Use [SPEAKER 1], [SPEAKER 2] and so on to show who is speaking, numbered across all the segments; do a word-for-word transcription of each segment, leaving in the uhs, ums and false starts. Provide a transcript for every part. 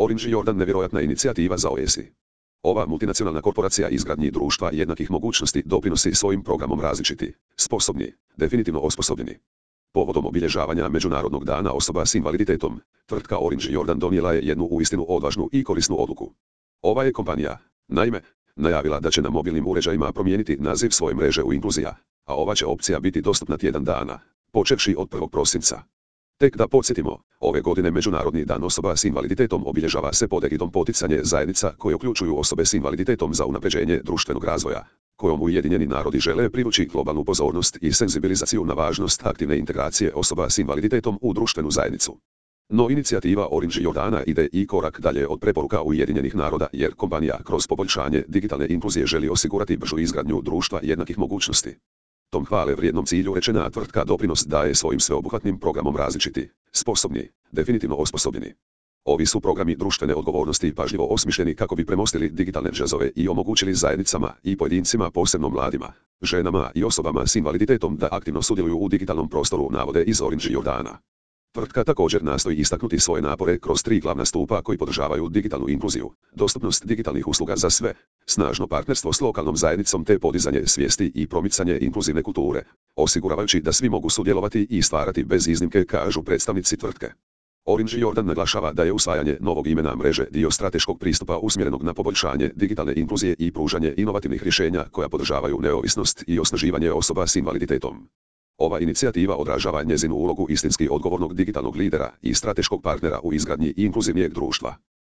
[SPEAKER 1] Orange Jordan nevjerojatna inicijativa za O S I. Ova multinacionalna korporacija izgradnji društva jednakih mogućnosti doprinosi svojim programom različiti, sposobni, definitivno osposobljeni. Povodom obilježavanja Međunarodnog dana osoba s invaliditetom, tvrtka Orange Jordan donijela je jednu uistinu odvažnu i korisnu odluku. Ova je kompanija, naime, najavila da će na mobilnim uređajima promijeniti naziv svoje mreže u Inkluzija, a ova će opcija biti dostupna tjedan dana, počevši od prvog prosinca. Tek da podsjetimo, ove godine Međunarodni dan osoba s invaliditetom obilježava se pod egidom poticanje zajednica koje uključuju osobe s invaliditetom za unapređenje društvenog razvoja, kojom Ujedinjeni narodi žele privući globalnu pozornost i senzibilizaciju na važnost aktivne integracije osoba s invaliditetom u društvenu zajednicu. No inicijativa Orange Jordana ide i korak dalje od preporuka Ujedinjenih naroda jer kompanija kroz poboljšanje digitalne inkluzije želi osigurati bržu izgradnju društva jednakih mogućnosti. Tom hvale vrijednom cilju rečena tvrtka doprinos daje svojim sveobuhvatnim programom različiti, sposobni, definitivno osposobljeni. Ovi su programi društvene odgovornosti pažljivo osmišljeni kako bi premostili digitalne džezove i omogućili zajednicama i pojedincima, posebno mladima, ženama i osobama s invaliditetom da aktivno sudjeluju u digitalnom prostoru, navode iz Orange Jordana. Tvrtka također nastoji istaknuti svoje napore kroz tri glavna stupa koji podržavaju digitalnu inkluziju, dostupnost digitalnih usluga za sve, snažno partnerstvo s lokalnom zajednicom te podizanje svijesti i promicanje inkluzivne kulture, osiguravajući da svi mogu sudjelovati i stvarati bez iznimke, kažu predstavnici tvrtke. Orange Jordan naglašava da je usvajanje novog imena mreže dio strateškog pristupa usmjerenog na poboljšanje digitalne inkluzije i pružanje inovativnih rješenja koja podržavaju neovisnost i osnaživanje osoba s invaliditetom. Ova inicijativa odražava njezinu ulogu istinski odgovornog digitalnog lidera i strateškog partnera u izgradnji inkluzivnijeg društva.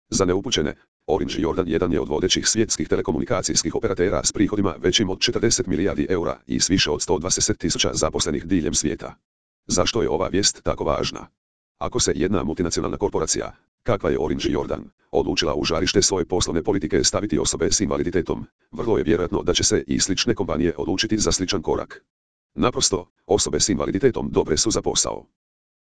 [SPEAKER 1] Za neupućene, Orange Jordan jedan je od vodećih svjetskih telekomunikacijskih operatera s prihodima većim od četrdeset milijardi eura i s više od sto dvadeset tisuća zaposlenih diljem svijeta. Zašto je ova vijest tako važna? Ako se jedna multinacionalna korporacija, kakva je Orange Jordan, odlučila u žarište svoje poslovne politike staviti osobe s invaliditetom, vrlo je vjerojatno da će se i slične kompanije odlučiti za sličan korak. Naprosto, osobe s invaliditetom dobre su za posao.